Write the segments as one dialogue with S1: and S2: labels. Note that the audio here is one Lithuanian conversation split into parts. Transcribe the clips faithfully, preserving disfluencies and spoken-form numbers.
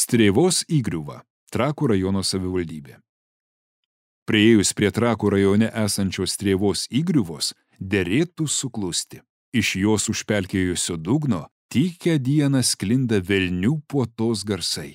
S1: Strėvos įgriuva, Trakų rajono savivaldybė. Priėjus prie Trakų rajone esančios Strėvos įgriuvos, derėtų suklusti. Iš jos užpelkėjusio dugno tykią dieną sklinda velnių puotos garsai.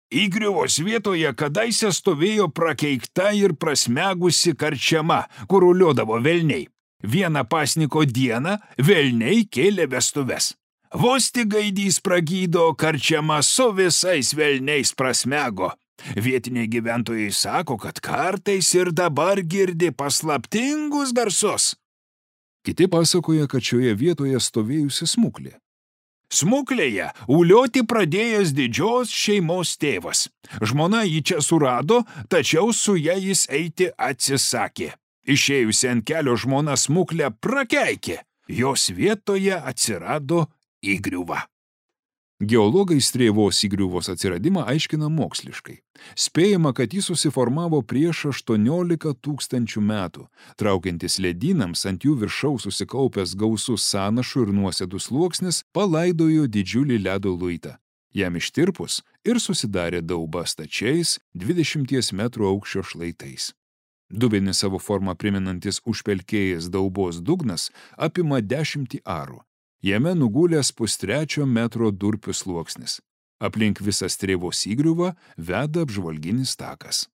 S1: Įgriuvos vietoje kadaise stovėjo prakeikta ir prasmegusi karčiama, kur uliodavo velniai. Vieną pasniko dieną velniai kėlė vestuves. Vos tik gaidys pragydo, karčiama su visais velniais prasmego. Vietiniai gyventojai sako, kad kartais ir dabar girdi paslaptingus garsus. Kiti pasakoja, kad šioje vietoje stovėjusi smuklė. Smuklėje ulioti pradėjęs didžios šeimos tėvas. Žmona jį čia surado, tačiau su ja jis eiti atsisakė. Išėjusi ant kelio žmona smuklę prakeikė. Jos vietoje atsirado įgriuva. Geologai Strėvos įgriuvos atsiradimą aiškina moksliškai. Spėjama, kad jis susiformavo prieš aštuoniolika tūkstančių metų. Traukiantis ledynams ant jų viršaus susikaupęs gausus sąnašų ir nuosėdų sluoksnis palaidojo didžiulį ledo luitą. Jam ištirpus ir susidarė dauba stačiais dvidešimties metrų aukščio šlaitais. Dubenį savo formą priminantis užpelkėjęs daubos dugnas apima dešimtį arų. Jame nugulęs pustrečio metro durpių sluoksnis. Aplink visą Strėvos įgriuvą veda apžvalginis takas.